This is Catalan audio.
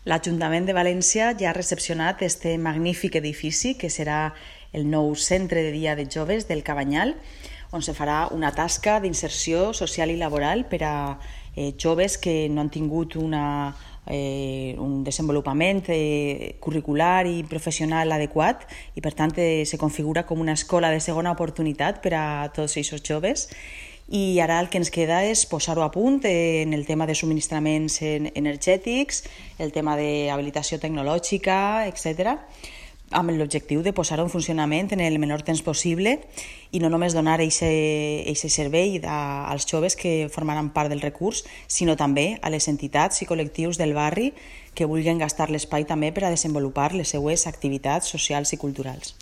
L'Ajuntament de València ja ha recepcionat este magnífic edifici que serà el nou centre de dia de joves del Cabanyal, on se farà una tasca d'inserció social i laboral per a joves que no han tingut un desenvolupament curricular i professional adequat i per tant se configura com una escola de segona oportunitat per a tots aquests joves. I ara el que ens queda és posar-ho a punt en el tema de subministraments energètics, el tema d'habilitació tecnològica, etc., amb l'objectiu de posar-ho en funcionament en el menor temps possible i no només donar aquest servei als joves que formaran part del recurs, sinó també a les entitats i col·lectius del barri que vulguin gastar l'espai també per a desenvolupar les seues activitats socials i culturals.